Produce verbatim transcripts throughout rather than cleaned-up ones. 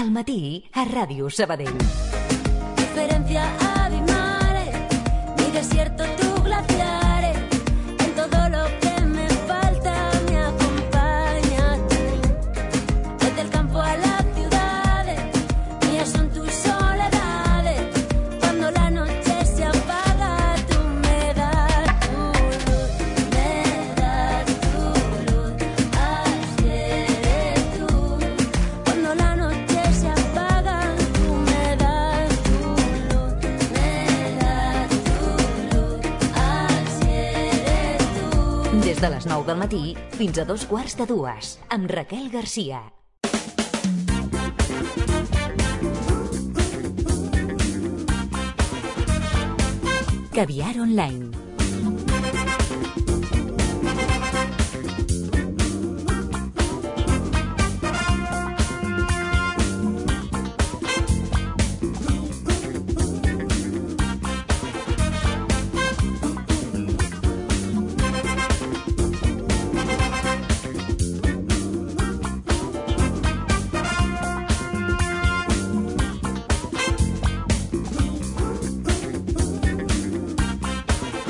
Al matí, a Ràdio Sabadell. Diferencia abismales, mi desierto, tu glaciares, en todo lo que me falta me acompañas tú. Desde el campo a las ciudades, mías son tus soledades. Cuando la noche se apaga, tú me das tu luz, me das tu luz, así eres tú. Cuando la noche se apaga, tú me das tu luz, me das tu luz, así eres tú. Des de les nou del matí fins a dos quarts de dues, amb Raquel Garcia. Caviar Online.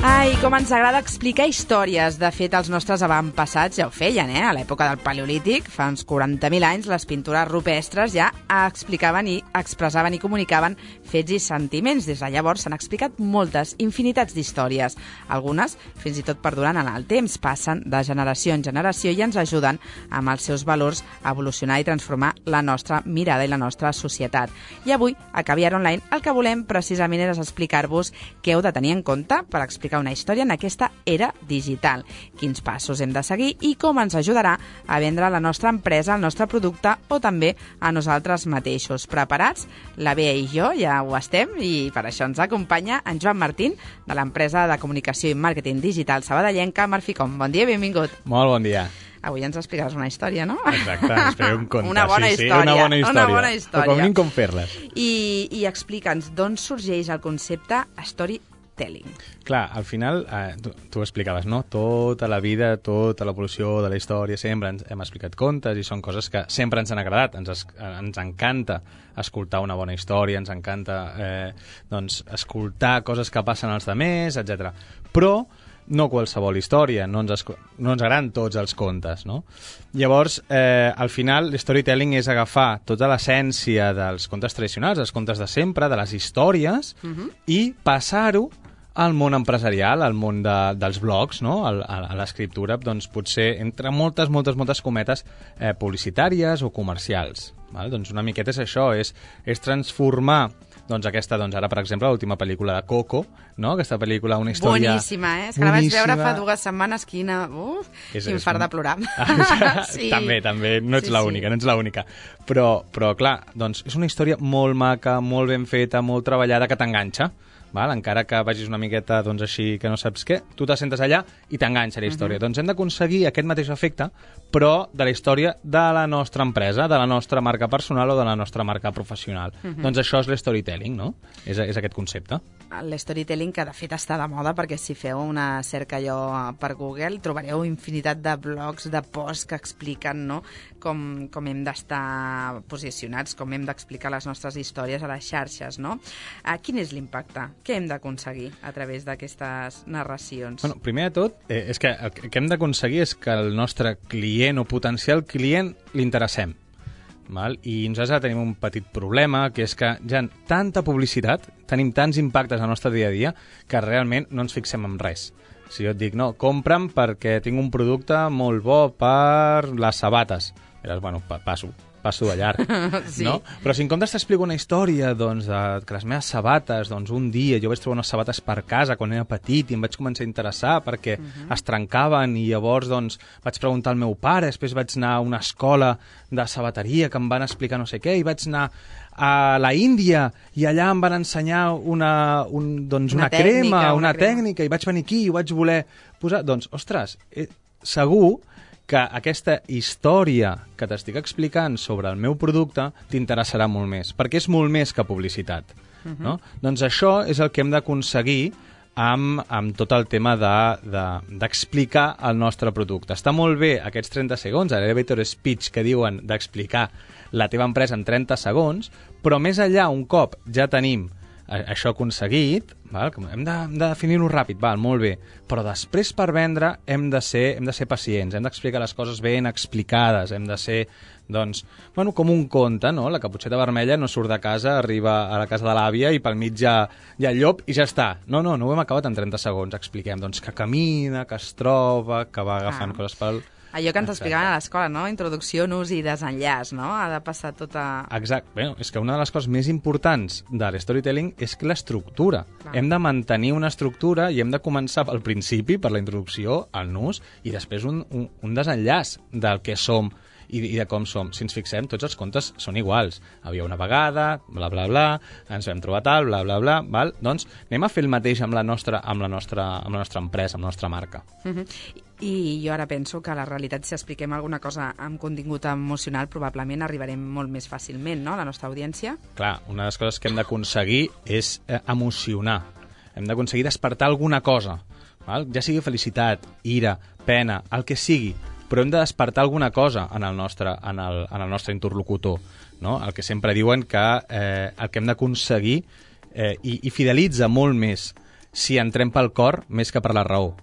Ai, com ens agrada explicar històries. De fet, els nostres avantpassats ja ho feien, eh? A l'època del Paleolític, fa uns quaranta mil anys, les pintures rupestres ja explicaven i expressaven i comunicaven fets i sentiments. Des de llavors s'han explicat moltes, infinitats d'històries. Algunes, fins i tot perdurant en el temps, passen de generació en generació i ens ajuden amb els seus valors a evolucionar i transformar la nostra mirada i la nostra societat. I avui, a Caviar Online, el que volem precisament és explicar-vos què heu de tenir en compte per explicar una història en aquesta era digital, quins passos hem de seguir i com ens ajudarà a vendre la nostra empresa, el nostre producte o també a nosaltres mateixos. Preparats? La Bea i jo ja ho estem i per això ens acompanya en Joan Martín de l'empresa de comunicació i màrqueting digital sabadellenca Marficom. Bon dia, benvingut. Molt bon dia. Avui ens explicaràs una història, no? Exacte, ens faré un conte. Una bona sí, sí, història. Una bona història. Una bona història. O com mínim com fer-les. I, i explica'ns d'on sorgeix el concepte storytelling. Clar, al final, eh, tu, tu ho explicaves, no? Tota la vida, tota l'evolució de la història, sempre ens, hem explicat contes i són coses que sempre ens han agradat. Ens, es, ens encanta escoltar una bona història, ens encanta eh, doncs, escoltar coses que passen als altres, etcètera. Però no qualsevol història, no ens, no ens agraden tots els contes, no? Llavors, eh, al final, l'storytelling és agafar tota l'essència dels contes tradicionals, dels contes de sempre, de les històries, uh-huh. i passar-ho al món empresarial, al món de, dels blogs, no? a, a l'escriptura, doncs potser entre moltes, moltes, moltes cometes eh, publicitàries o comercials. Val? Doncs una miqueta és això, és, és transformar doncs aquesta, doncs ara, per exemple, l'última pel·lícula de Coco, no? Aquesta pel·lícula, una història... Boníssima, eh? És que la vaig veure fa dues setmanes, quina... Uf, és, infart és... de plorar. Sí. També, també, no ets sí, l'única, sí. no ets l'única. Però, però, clar, doncs és una història molt maca, molt ben feta, molt treballada, que t'enganxa. Val? Encara que vagis una miqueta doncs, així que no saps què, tu te sentes allà i t'enganxa la història. Uh-huh. Doncs hem d'aconseguir aquest mateix efecte, però de la història de la nostra empresa, de la nostra marca personal o de la nostra marca professional. Uh-huh. Doncs això és l'storytelling, no? És, és aquest concepte. L'storytelling, que de fet està de moda, perquè si feu una cerca allò per Google trobareu infinitat de blogs, de posts que expliquen, no? com, com hem d'estar posicionats, com hem d'explicar les nostres històries a les xarxes, no? Uh, quin és l'impacte? Què hem d'aconseguir a través d'aquestes narracions? Bueno, primer de tot, eh, és que el que hem d'aconseguir és que el nostre client o potencial client l'interessem. Val? I nosaltres tenim un petit problema, que és que ja tanta publicitat, tenim tants impactes al nostre dia a dia, que realment no ens fixem en res. Si jo et dic, no, compra'm perquè tinc un producte molt bo per les sabates. Diràs, bueno, passo, passo de llarg, sí. no? Però si en comptes t'explico una història, doncs, de que les meves sabates, doncs, un dia jo vaig trobar unes sabates per casa quan era petit i em vaig començar a interessar perquè uh-huh. es trencaven i llavors, doncs, vaig preguntar al meu pare, després vaig anar a una escola de sabateria que em van explicar no sé què i vaig anar a la Índia i allà em van ensenyar una, un, doncs, una, una tècnica, crema, una, una crema. tècnica i vaig venir aquí i ho vaig voler posar. Doncs, ostres, eh, segur que aquesta història que t'estic explicant sobre el meu producte t'interessarà molt més, perquè és molt més que publicitat. Uh-huh. No? Doncs això és el que hem d'aconseguir amb, amb tot el tema d'explicar de, de, el nostre producte. Està molt bé aquests trenta segons, l'elevator speech que diuen d'explicar la teva empresa en trenta segons, però més enllà, un cop ja tenim això aconseguit, val? Hem de, hem de definir-ho ràpid, val, molt bé, però després per vendre hem de ser, hem de ser pacients, hem d'explicar les coses ben explicades, hem de ser, doncs, bueno, com un conte, no? La Caputxeta Vermella no surt de casa, arriba a la casa de l'àvia i pel mig hi ha, hi ha el llop i ja està. No, no, no ho hem acabat en trenta segons, expliquem, doncs, que camina, que es troba, que va agafant ah. coses pel... Allò que ens explicaven a l'escola, no? Introducció, nus i desenllaç, no? Ha de passar tota... Exacte. Bé, és que una de les coses més importants de l'storytelling és que l'estructura. Hem de mantenir una estructura i hem de començar pel principi, per la introducció, el nus, i després un, un, un desenllaç del que som i, i de com som. Si ens fixem, tots els contes són iguals. Havia una vegada, bla, bla, bla, ens vam trobar tal, bla, bla, bla, val? Doncs anem a fer el mateix amb la nostra, amb la nostra, amb la nostra empresa, amb la nostra marca. Uh-huh. I jo ara penso que la realitat, si expliquem alguna cosa amb contingut emocional, probablement arribarem molt més fàcilment, no?, a la nostra audiència. Clar, una de les coses que hem d'aconseguir és eh, emocionar. Hem d'aconseguir despertar alguna cosa, val? Ja sigui felicitat, ira, pena, el que sigui, però hem de despertar alguna cosa en el nostre, en el, en el nostre interlocutor, no? El que sempre diuen que eh, el que hem d'aconseguir eh, i, i fidelitza molt més si entrem pel cor més que per la raó.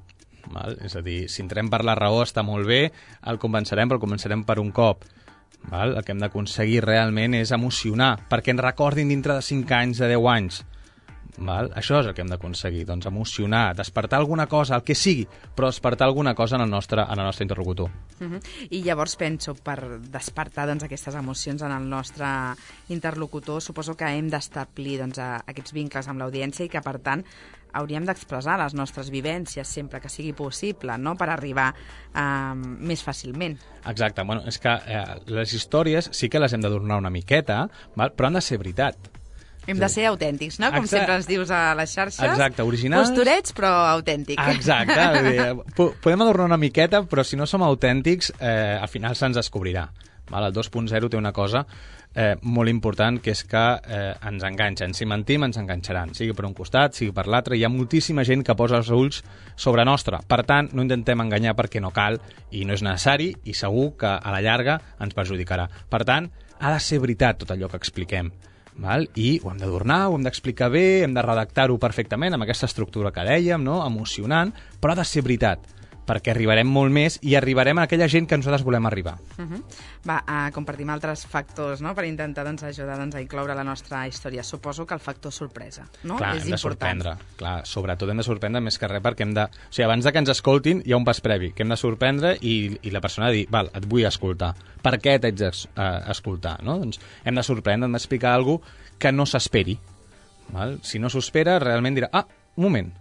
Val? És a dir, si entrem per la raó està molt bé, el convencerem, però el convencerem per un cop. Val? El que hem d'aconseguir realment és emocionar, perquè ens recordin dintre de cinc anys, de deu anys. Val? Això és el que hem d'aconseguir, doncs emocionar, despertar alguna cosa, el que sigui, però despertar alguna cosa en el nostre, en el nostre interlocutor. Uh-huh. I llavors penso, per despertar doncs, aquestes emocions en el nostre interlocutor, suposo que hem d'establir doncs, aquests vincles amb l'audiència i que, per tant, hauríem d'expressar les nostres vivències sempre que sigui possible, no?, per arribar eh, més fàcilment. Exacte. Bueno, és que eh, les històries sí que les hem d'adornar una miqueta, val? Però han de ser veritat. Hem de ser autèntics, no? Com Exacte. Sempre ens dius a les xarxes. Exacte, originals. Posturets, però autèntic. Exacte. Podem adornar una miqueta, però si no som autèntics, eh, al final se'ns descobrirà. Val? El dos punt zero té una cosa eh, molt important, que és que eh, ens enganxen. Si mentim, ens enganxaran. Sigui per un costat, sigui per l'altre. Hi ha moltíssima gent que posa els ulls sobre nostra. Per tant, no intentem enganyar perquè no cal i no és necessari i segur que a la llarga ens perjudicarà. Per tant, ha de ser veritat tot allò que expliquem. Val? I ho hem d'adornar, ho hem d'explicar bé, hem de redactar-ho perfectament amb aquesta estructura que dèiem, no? Emocionant, però ha de ser veritat, perquè arribarem molt més i arribarem a aquella gent que nosaltres volem arribar. Uh-huh. Va, uh, compartim altres factors, no?, per intentar doncs, ajudar doncs, a incloure la nostra història. Suposo que el factor sorpresa, no? Clar, és hem de important. sorprendre. Clar, sobretot hem de sorprendre més que res perquè hem de... O sigui, abans de que ens escoltin hi ha un pas previ, que hem de sorprendre i, i la persona ha de dir, val, et vull escoltar. Per què t'haig d'escoltar, no? Doncs hem de sorprendre, hem d'explicar alguna cosa que no s'esperi. Val? Si no s'ho espera, realment dirà, ah, un moment,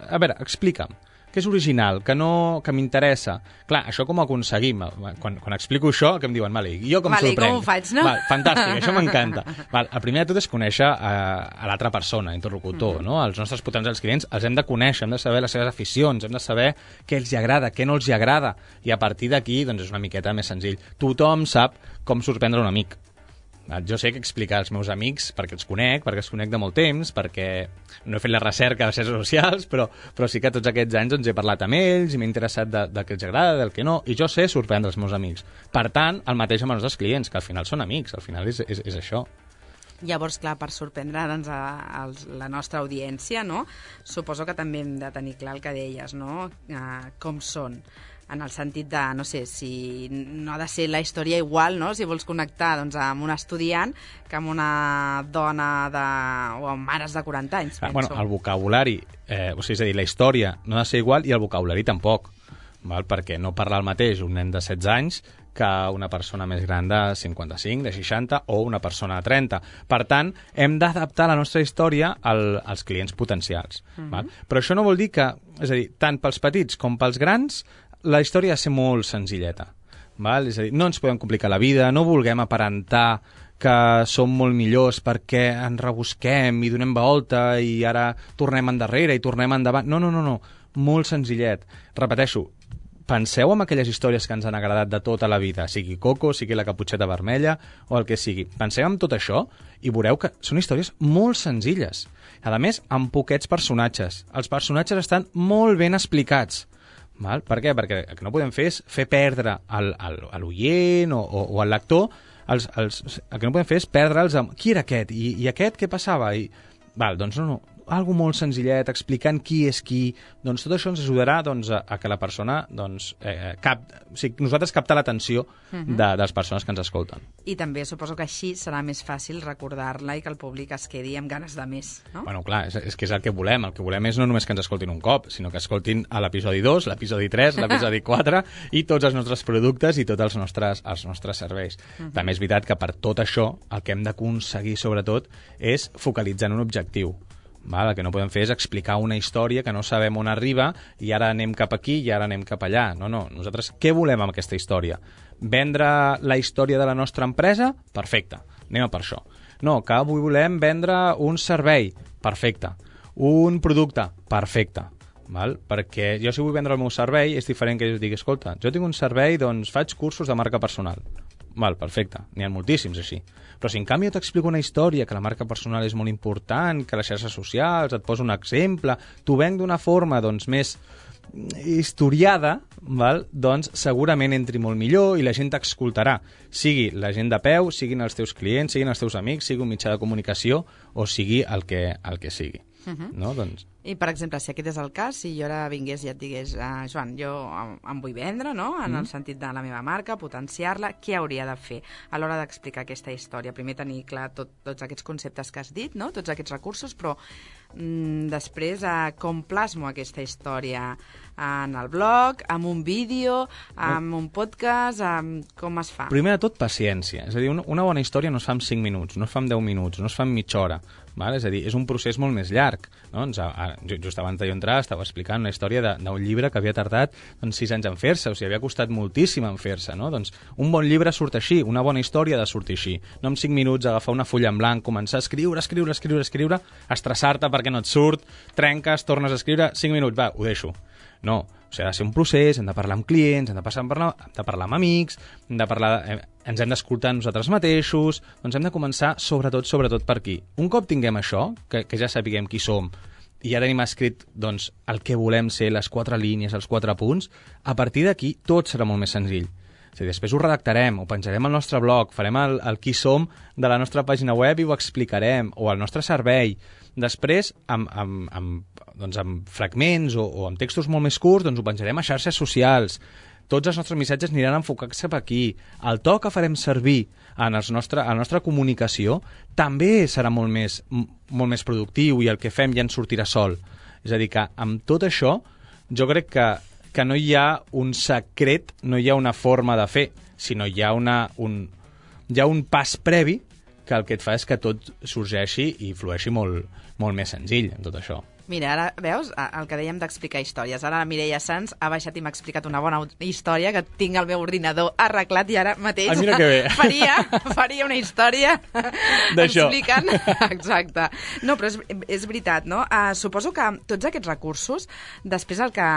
a veure, explica'm, que és original, que, no, que m'interessa. Clar, això com ho aconseguim? Quan, quan explico això, que em diuen, vale, jo com vale, sorprenc? Com ho faig, no? Val, fantàstic, això m'encanta. Val, el primer de tot és conèixer a, a l'altra persona, interlocutor, mm-hmm. no? Els nostres potencials clients els hem de conèixer, hem de saber les seves aficions, hem de saber què els hi agrada, què no els hi agrada, i a partir d'aquí doncs, és una miqueta més senzill. Tothom sap com sorprendre un amic. Jo sé que explicar als meus amics, perquè els conec, perquè els conec de molt temps, perquè no he fet la recerca a les xarxes socials, però, però sí que tots aquests anys doncs, he parlat amb ells i m'he interessat de, del que els agrada, del que no, i jo sé sorprendre els meus amics. Per tant, el mateix amb els nostres clients, que al final són amics, al final és, és, és això. Llavors, clar, per sorprendre doncs, a, a la nostra audiència, no? Suposo que també hem de tenir clar el que deies, no? Uh, com són. En el sentit de, no sé, si no ha de ser la història igual, no?, si vols connectar doncs, amb un estudiant que amb una dona de... o amb mares de quaranta anys, ah, penso. Bueno, el vocabulari, eh, o sigui, és a dir, la història no ha de ser igual i el vocabulari tampoc, val? Perquè no parla el mateix un nen de setze anys que una persona més gran de cinquanta-cinc, de seixanta o una persona de trenta. Per tant, hem d'adaptar la nostra història al, als clients potencials. Uh-huh. Val? Però això no vol dir que, és a dir, tant pels petits com pels grans, la història ha de ser molt senzilleta. Val? És a dir, no ens podem complicar la vida, no vulguem aparentar que som molt millors perquè ens rebusquem i donem volta i ara tornem endarrere i tornem endavant. No, no, no, no. Molt senzillet. Repeteixo, penseu en aquelles històries que ens han agradat de tota la vida, sigui Coco, sigui la Caputxeta Vermella o el que sigui. Penseu en tot això i veureu que són històries molt senzilles. A més, amb poquets personatges. Els personatges estan molt ben explicats. Val? Per què? Perquè el que no podem fer és fer perdre al, al, a l'oient o, o, o al lector, els, els, el que no podem fer és perdre'ls amb qui era aquest i, i aquest què passava? I, val, doncs no, no, algo molt senzillet, explicant qui és qui, doncs tot això ens ajudarà doncs, a, a que la persona, doncs, eh, cap, o sigui, nosaltres captar l'atenció uh-huh. de, de les persones que ens escolten. I també suposo que així serà més fàcil recordar-la i que el públic es quedi amb ganes de més, no? Bueno, clar, és, és que és el que volem. El que volem és no només que ens escoltin un cop, sinó que escoltin a l'episodi dos, l'episodi tres, l'episodi quatre i tots els nostres productes i tots els nostres, els nostres serveis. Uh-huh. També és veritat que per tot això el que hem d'aconseguir, sobretot, és focalitzar en un objectiu. Val? El que no podem fer és explicar una història que no sabem on arriba i ara anem cap aquí i ara anem cap allà. No, no. Nosaltres què volem amb aquesta història? Vendre la història de la nostra empresa? Perfecte. Anem a per això. No, que avui volem vendre un servei? Perfecte. Un producte? Perfecte. Val? Perquè jo si vull vendre el meu servei és diferent que jo digui, escolta, jo tinc un servei, doncs faig cursos de marca personal. Val, perfecte, n'hi ha moltíssims així. Però si en canvi jo t'explico una història, que la marca personal és molt important, que les xarxes socials, et poso un exemple, t'ho venc d'una forma doncs, més historiada, val? Doncs segurament entri molt millor i la gent t'escoltarà. Sigui la gent de peu, siguin els teus clients, siguin els teus amics, sigui un mitjà de comunicació o sigui el que, el que sigui. Uh-huh. No? Doncs... I, per exemple, si aquest és el cas, si jo ara vingués i et digués, uh, Joan, jo em vull vendre, no?, en mm. el sentit de la meva marca, potenciar-la, què hauria de fer a l'hora d'explicar aquesta història? Primer tenir clar tot, tots aquests conceptes que has dit, no?, tots aquests recursos, però mm, després uh, com plasmo aquesta història en el blog, amb un vídeo, amb un podcast, amb... com es fa? Primer de tot, paciència. És a dir, una bona història no es fa en cinc minuts, no es fa en deu minuts, no es fa en mitja hora. Val? És a dir, és un procés molt més llarg. No? Ens, a, just abans de jo entrar estava explicant una història d'un llibre que havia tardat doncs, sis anys en fer-se, o sigui, havia costat moltíssim en fer-se. No? Doncs un bon llibre surt així, una bona història ha de sortir així. No en cinc minuts agafar una fulla en blanc, començar a escriure, escriure, escriure, escriure, estressar-te perquè no et surt, trenques, tornes a escriure, cinc minuts, va, ho deixo. No, o sigui, ha de ser un procés, hem de parlar amb clients, hem de, passar, parlar, hem de parlar amb amics, hem de parlar, eh, ens hem d'escoltar nosaltres mateixos, doncs hem de començar sobretot, sobretot per aquí. Un cop tinguem això, que, que ja sapiguem qui som, i ja tenim escrit doncs, el que volem ser, les quatre línies, els quatre punts, a partir d'aquí tot serà molt més senzill. O sigui, després ho redactarem, ho penjarem al nostre blog, farem el, el qui som de la nostra pàgina web i ho explicarem, o al nostre servei. Després, amb, amb, amb, doncs amb fragments o, o amb textos molt més curts, doncs ho penjarem a xarxes socials. Tots els nostres missatges aniran enfocats cap aquí. El to que farem servir en els nostre, en la nostra comunicació també serà molt més, molt més productiu i el que fem ja ens sortirà sol. És a dir, que amb tot això jo crec que, que no hi ha un secret, no hi ha una forma de fer, sinó hi ha, una, un, hi ha un pas previ que el que et fa és que tot sorgeixi i flueixi molt, molt més senzill en tot això. Mira, ara veus el que dèiem d'explicar històries. Ara la Mireia Sans ha baixat i m'ha explicat una bona història que tinc al meu ordinador arreglat i ara mateix ah, mira que bé. faria, faria una història explicant... Exacte. No, però és, és veritat, no? Uh, suposo que tots aquests recursos, després el que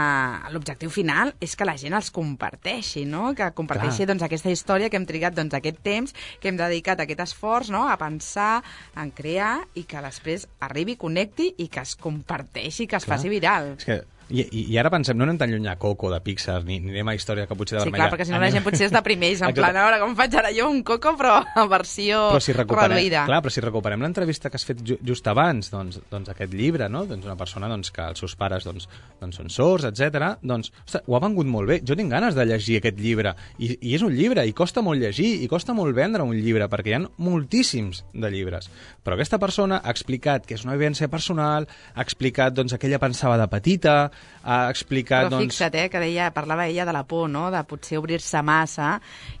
l'objectiu final és que la gent els comparteixi, no? Que comparteixi doncs, aquesta història que hem trigat doncs, aquest temps, que hem dedicat aquest esforç, no? A pensar, en crear i que després arribi, connecti i que es comparteixi i que es Clar. faci viral. És que, i, i ara pensem, no anem tan lluny a Coco de Pixar, ni, ni anem a Història que potser de sí, Vermella. Sí, clar, perquè si no la gent potser es deprimeix, en plan, ara com faig ara jo un Coco, però a versió però si reduïda. Clar, però si recuperem l'entrevista que has fet ju just abans, doncs, doncs aquest llibre, no? Doncs una persona doncs, que els seus pares doncs, doncs són sords, etcètera. Doncs, ostres, ho ha vengut molt bé. Jo tinc ganes de llegir aquest llibre. I, I és un llibre, i costa molt llegir, i costa molt vendre un llibre, perquè hi ha moltíssims de llibres. Però aquesta persona ha explicat que és una vivència personal, ha explicat doncs, que ella pensava de petita, ha explicat Però doncs... fixa't, eh, que deia, parlava ella de la por, no?, de potser obrir-se massa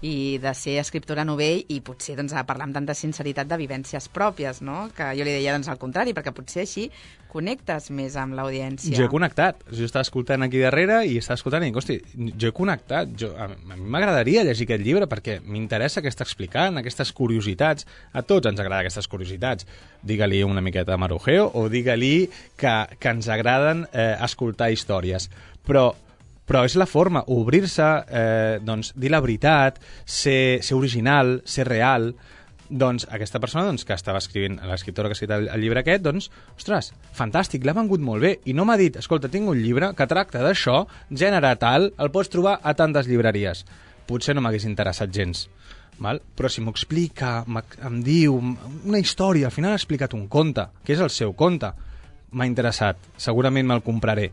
i de ser escriptora novell i potser doncs, parlar amb tanta sinceritat de vivències pròpies, no? Que jo li deia doncs, al contrari, perquè potser així connectes més amb l'audiència. Jo he connectat. Jo estava escoltant aquí darrere i estava escoltant i dic, hosti, jo he connectat. Jo, a, a mi m'agradaria llegir aquest llibre perquè m'interessa què està explicant, aquestes curiositats. A tots ens agrada aquestes curiositats. Digue-li una miqueta de marujeo o digue-li que, que ens agraden eh, escoltar històries. Però, però és la forma, obrir-se, eh, doncs, dir la veritat, ser, ser original, ser real. Doncs aquesta persona doncs, que estava escrivint, l'escriptora que ha escrit el, el llibre aquest, doncs, ostres, fantàstic, l'ha vengut molt bé. I no m'ha dit, escolta, tinc un llibre que tracta d'això, gènere tal, el pots trobar a tantes llibreries. Potser no m'hagués interessat gens. Val? Però si m'ho explica, em diu una història, al final ha explicat un conte, que és el seu conte, m'ha interessat, segurament me'l compraré.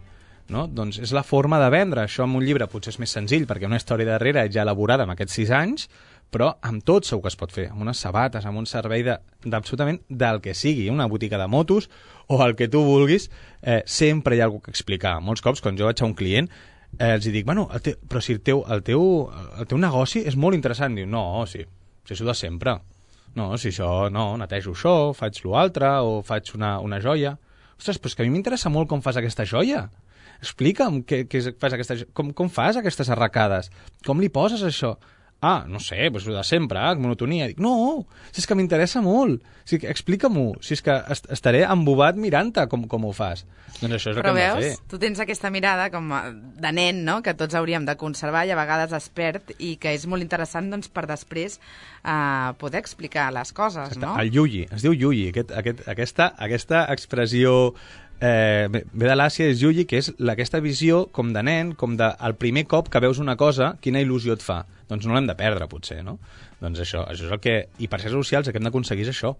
No? Doncs és la forma de vendre. Això amb un llibre potser és més senzill, perquè una història darrere ja elaborada en aquests sis anys, però amb tot segur que es pot fer, amb unes sabates, amb un servei d'absolutament de, del que sigui, una botiga de motos o el que tu vulguis, eh, sempre hi ha alguna cosa que explicar. Molts cops, quan jo vaig a un client, eh, els dic, bueno, el te, però si el teu, el, teu, el teu negoci és molt interessant. Diu, no, sí, si és de sempre. No, si això, no, netejo això, faig l'altre, o faig una, una joia. Ostres, però és que a mi m'interessa molt com fas aquesta joia. Explica'm què, què fas aquesta, com, com fas aquestes arracades, com li poses això. Ah, no sé, doncs de sempre, eh, monotonia. Dic, no, si és que m'interessa molt. Si explica-m'ho, si és que est estaré embobat mirant-te com, com ho fas. Doncs això és el Però que hem veus, de fer. tu tens aquesta mirada com de nen, no?, que tots hauríem de conservar i a vegades expert, i que és molt interessant doncs, per després uh, poder explicar les coses, Exacte. no? El yuyi, es diu yuyi. Aquest, aquest, aquesta, aquesta expressió eh, ve de l'Àsia, és yuyi, que és la, aquesta visió com de nen, com de el primer cop que veus una cosa, quina il·lusió et fa. Doncs no l'hem de perdre, potser, no? Doncs això, això és el que... I per ser socials el que hem d'aconseguir és això.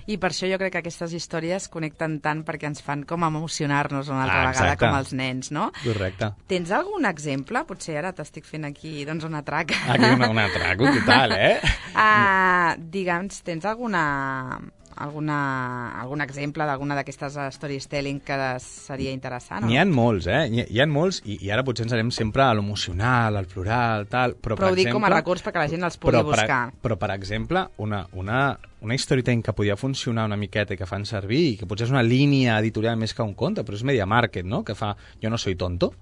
I per això jo crec que aquestes històries connecten tant perquè ens fan com emocionar-nos una altra Ah, vegada exacte. com els nens, no? Correcte. Tens algun exemple? Potser ara t'estic fent aquí doncs, un atrac. Aquí una, un atraco total, eh? Uh, digue'ns, tens alguna, alguna, algun exemple d'alguna d'aquestes storytelling que seria interessant? N'hi ha molts, eh? N'hi hi ha molts, i, i ara potser ens anem sempre a l'emocional, al plural, tal, però, Però per ho dic exemple, com a recurs perquè la gent els pugui però, per, buscar. però, per exemple, una, una, una storytelling que podia funcionar una miqueta i que fan servir, i que potser és una línia editorial més que un conte, però és Media Market, no?, que fa Jo no soy tonto,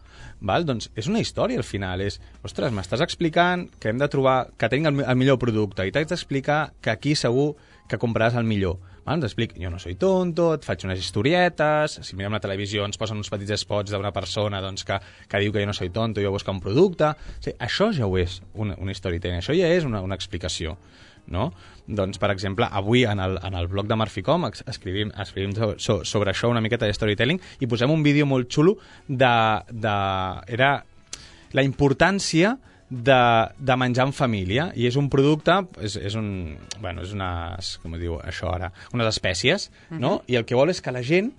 val? Doncs és una història al final, és, ostres, m'estàs explicant que hem de trobar, que tinc el, el millor producte, i t'haig d'explicar que aquí segur que compraràs el millor. Val? T'explic, jo no soy tonto, et faig unes historietes, si mirem la televisió ens posen uns petits spots d'una persona doncs, que, que diu que jo no soy tonto i jo busco un producte. O sigui, això ja ho és, una, una storytelling, això ja és una, una explicació. No? Doncs, per exemple, avui en el, en el blog de Marficom escrivim, escrivim so, sobre això una miqueta de storytelling i posem un vídeo molt xulo de, de era la importància de, de menjar en família, i és un producte, és, és un, bueno, és unes, com diu això ara, unes espècies, uh-huh. no? I el que vol és que la gent,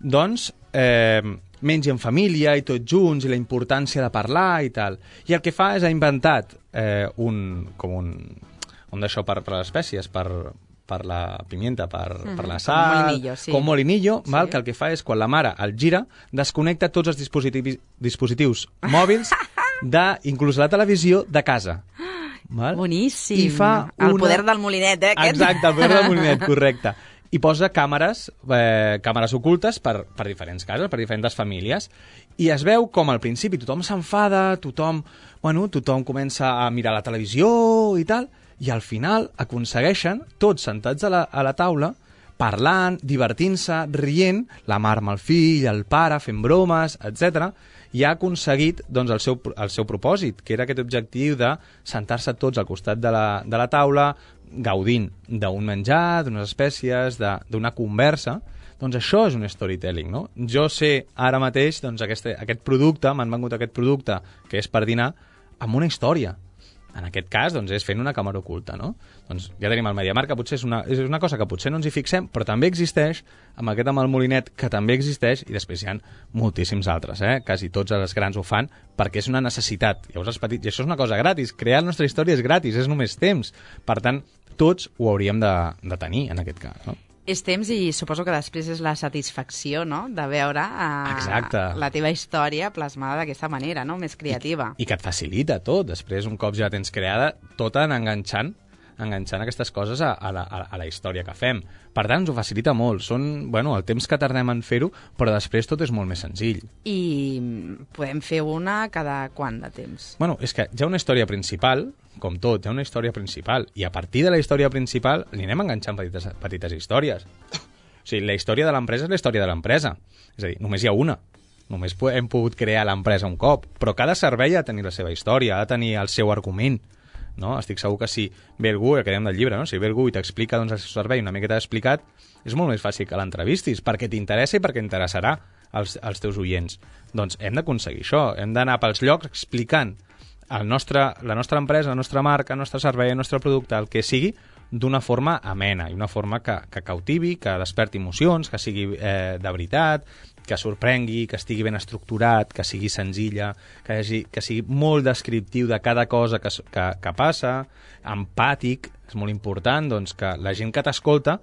doncs, eh, mengi en família i tots junts, i la importància de parlar i tal. I el que fa és ha inventat eh, un, com un, un d'això per, per les espècies, per, per la pimienta, per, uh-huh. per la sal, com molinillo, sí. com molinillo, Sí. val? Que el que fa és, quan la mare el gira, desconnecta tots els dispositius, dispositius mòbils, de, inclús la televisió, de casa. Val? Boníssim. I fa El una... poder del molinet, eh? Aquest? Exacte, el poder del molinet, correcte. I posa càmeres, eh, càmeres ocultes per, per diferents cases, per diferents famílies, i es veu com al principi tothom s'enfada, tothom, bueno, tothom comença a mirar la televisió i tal, i al final aconsegueixen, tots sentats a la, a la taula, parlant, divertint-se, rient, la mare amb el fill, el pare, fent bromes, etcètera, i ha aconseguit doncs, el, seu, el seu propòsit, que era aquest objectiu de sentar-se tots al costat de la, de la taula, gaudint d'un menjar, d'unes espècies, d'una conversa. Doncs això és un storytelling, no? Jo sé ara mateix, doncs, aquest, aquest producte, m'han vengut aquest producte, que és per dinar, amb una història. En aquest cas, doncs, és fent una càmera oculta, no? Doncs ja tenim el MediaMarkt, que potser és una, és una cosa que potser no ens hi fixem, però també existeix, amb aquest amb el molinet, que també existeix, i després hi ha moltíssims altres, eh? Quasi tots els grans ho fan, perquè és una necessitat. Llavors els petits, i això és una cosa gratis, crear la nostra història és gratis, és només temps. Per tant, tots ho hauríem de, de tenir, en aquest cas, no? És temps i suposo que després és la satisfacció, no?, de veure uh, Exacte. la teva història plasmada d'aquesta manera, no?, més creativa. I, I que et facilita tot. Després, un cop ja la tens creada, tot en enganxant, enganxant aquestes coses a, a, la, a la història que fem. Per tant, ens ho facilita molt. Són, bueno, el temps que tardem en fer-ho, però després tot és molt més senzill. I podem fer una cada quant de temps? Bueno, és que hi ha una història principal, com tot, hi ha una història principal, i a partir de la història principal li anem enganxant petites, petites històries. O sigui, la història de l'empresa és la història de l'empresa. És a dir, només hi ha una. Només hem pogut crear l'empresa un cop, però cada servei ha de tenir la seva història, ha de tenir el seu argument. No? Estic segur que si ve algú, que dèiem del llibre, no? Si ve algú i t'explica doncs, el seu servei una miqueta explicat, és molt més fàcil que l'entrevistis, perquè t'interessa i perquè interessarà als, als teus oients. Doncs hem d'aconseguir això, hem d'anar pels llocs explicant el nostre, la nostra empresa, la nostra marca, el nostre servei, el nostre producte, el que sigui, d'una forma amena i una forma que, que cautivi, que desperti emocions, que sigui eh, de veritat, que sorprengui, que estigui ben estructurat, que sigui senzilla, que, hagi, que sigui molt descriptiu de cada cosa que, que, que passa, empàtic, és molt important doncs, que la gent que t'escolta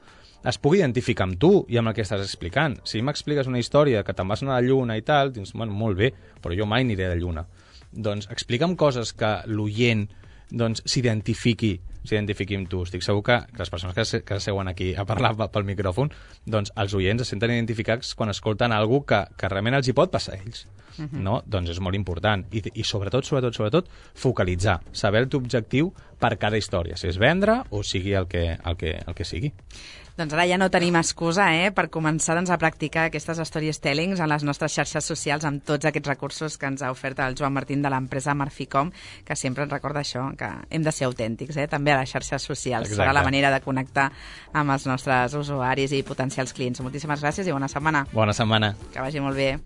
es pugui identificar amb tu i amb el que estàs explicant. Si m'expliques una història que te'n vas anar a la Lluna i tal, dius, bueno, molt bé, però jo mai aniré a la Lluna. Doncs explica'm coses que l'oient doncs, s'identifiqui s'identifiqui amb tu. Estic segur que, que les persones que, se, que seuen aquí a parlar pel micròfon, doncs els oients es senten identificats quan escolten alguna cosa que, que realment els hi pot passar a ells. Uh-huh. No? Doncs és molt important. I, i sobretot, sobretot, sobretot, focalitzar, saber el teu objectiu per cada història, si és vendre o sigui el que, el que, el que sigui. Doncs ara ja no tenim excusa eh, per començar doncs, a practicar aquestes storytellings en les nostres xarxes socials amb tots aquests recursos que ens ha ofert el Joan Martín de l'empresa Marficom, que sempre ens recorda això, que hem de ser autèntics, eh, també a les xarxes socials. Exacte. Serà la manera de connectar amb els nostres usuaris i potencials clients. Moltíssimes gràcies i bona setmana. Bona setmana. Que vagi molt bé.